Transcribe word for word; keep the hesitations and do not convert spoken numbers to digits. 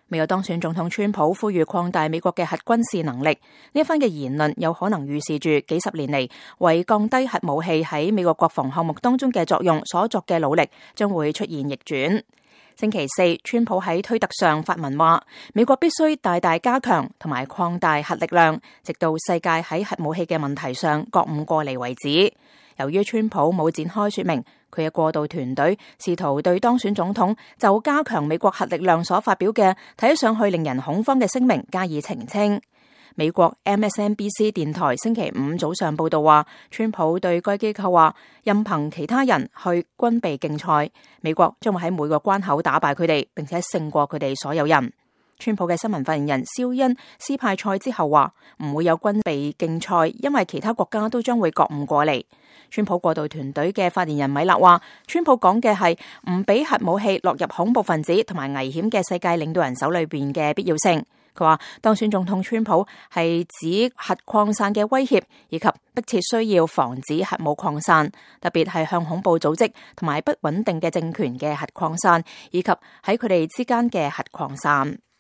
未有當選總統川普呼籲擴大美國嘅核軍事能力，呢一番嘅言論有可能預示住幾十年嚟為降低核武器喺美國國防項目當中嘅作用所作嘅努力將會出現逆轉。星期四，川普喺推特上發文話，美國必須大大加強同埋擴大核力量，直到世界喺核武器嘅問題上覺悟過嚟為止。由於川普冇展開說明，佢嘅過渡團隊試圖對當選總統就加強美國核力量所發表嘅睇上去令人恐慌嘅聲明加以澄清。美國 M S N B C 電台星期五早上報道話，川普對該機構話，任憑其他人去軍備競賽，美國將會喺每個關口打敗佢哋，並且勝過佢哋所有人。川普嘅新聞發言人肖恩斯派塞之後話，唔會有軍備競賽，因為其他國家都將會覺悟過嚟。川普過渡團隊嘅發言人米勒話，川普講嘅係唔俾核武器落入恐怖分子同埋危險嘅世界領導人手裏邊嘅必要性。佢話當選總統川普係指核擴散嘅威脅，以及迫切需要防止核武擴散，特別係向恐怖組織同埋不穩定嘅政權嘅核擴散，以及喺佢哋之間嘅核擴散。